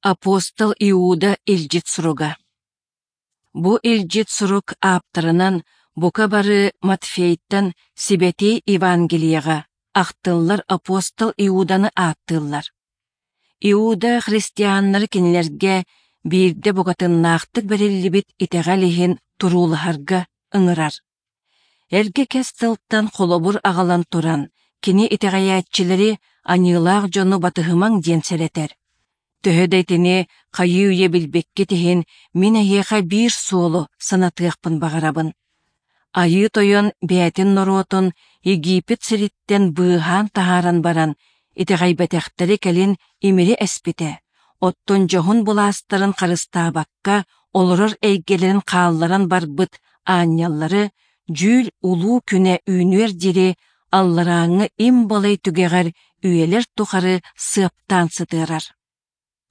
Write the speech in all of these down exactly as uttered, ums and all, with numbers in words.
Апостол Иуда илдьит суруга. Бу илдьит сурук ааптарынан бука бары Матфейтан Сибэтиэй Евангелиеҕа ахтыллар апостол Иуданы ааттыыллар. Иуда христианнары кинилэргэ биирдэ букатыннаахтык бэриллибит итэҕэл иһин туруулаһарга ыҥырар. Эргэ кэс тылтан холобур аҕалан туран, кини итэҕэйээччилэри аньыылаах дьону батыһымаҥ диэн сэрэтэр. Төһө да итини хайыы-үйэ билбиккит иһин, мин эһиэхэ биир суолу санатыахпын баҕарабын. Айыы Тойон бэйэтин норуотун Египет сириттэн быыһаан таһааран баран, итэҕэйбэтэхтэри кэлин имири эспитэ, оттон дьоһун былаастарын харыстаабакка олорор эйгэлэрин хаалларан барбыт аанньаллары дьүүл улуу күнэ үүнүөр диэри алларааҥҥы им балай түгэҕэр үйэлэр тухары сыаптаан сытыарар.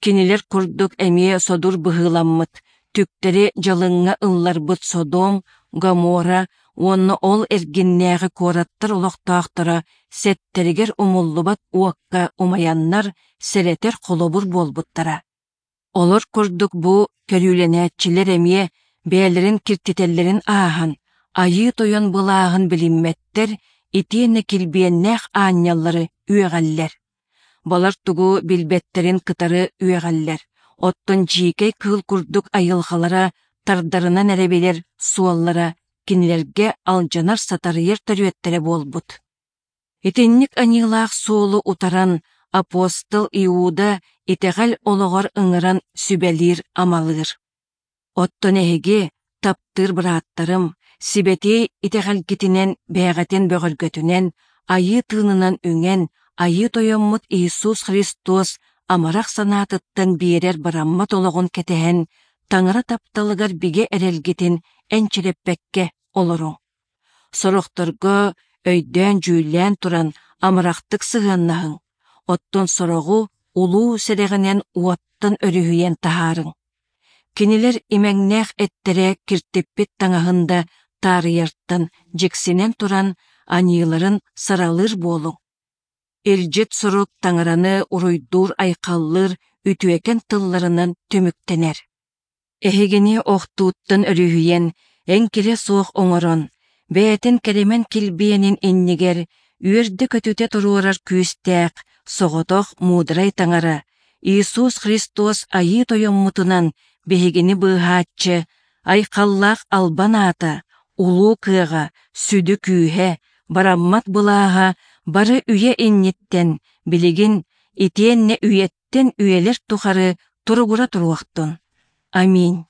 Кинилэр курдук эмиэ содур быһыыламмыт, түктэри дьалыҥҥа ылларбыт Содом, Гоморра уонна ол эргиннээҕи куораттар олохтоохторо сэттэригэр умуллубат уокка умайаннар сэрэтэр холобур буолбуттара. Олор курдук бу көрүүлэнээччилэр эмиэ бэйэлэрин киртитэллэрин ааһан, Айыы Тойон былааһын билиммэттэр итиэннэ килбиэннээх аанньаллары үөҕэллэр. Балар тугу билбэттэрин кытары үөҕэллэр, оттон дьиикэй кыыл курдук айылҕалара тардарынан эрэ билэр суоллара кинилэргэ алдьанар-сатарыйар төрүөттэрэ буолбут. Итинник аньыылаах суолу утаран апостол Иуда итэҕэл олоҕор ыҥыран сүбэлиир-амалыыр. Оттон эһиги, таптыыр бырааттарым, сибэтиэй итэҕэлгитинэн бэйэҕитин бөҕөргөтүнэн, Айыы тыынынан үҥэн, Айыы Тойоммут Иисус Христос амарах санаатыттан биэрэр бараммат олоҕун кэтэһэн, Таҥара тапталыгар бигэ эрэлгитин энчирэппэккэ олоруҥ. Сорохторго өйдөөн-дьүүллээн туран амарахтык сыһыаннаһыҥ, оттон сороҕу улуу сэрэҕинэн уоттан өрүһүйэн таһаарыҥ. Кинилэр имэҥнээх эттэрэ киртиппит таҥаһын да таарыйартан дьиксинэн туран аньыыларын саралыыр буолуҥ. Илдьит сурук Таҥараны уруйдуур-айхаллыыр үтүөкэн тылларынан түмүктэнэр. Эһигини охтууттан өрүһүйэн, эҥкилэ суох оҥорон, бэйэтин кэрэмэн килбиэнин иннигэр үөрдэ-көтүтэ туруорар күүстээх, соҕотох муударай Таҥара, Иисус Христос Айыы Тойоммутунан биһигини быыһааччы, айхаллаах албан аата, улуу кыаҕа, сүдү күүһэ, бараммат былааһа бары үйэ инниттэн, билигин, итиэннэ үйэттэн үйэлэр тухары туругура туруохтун. Аминь.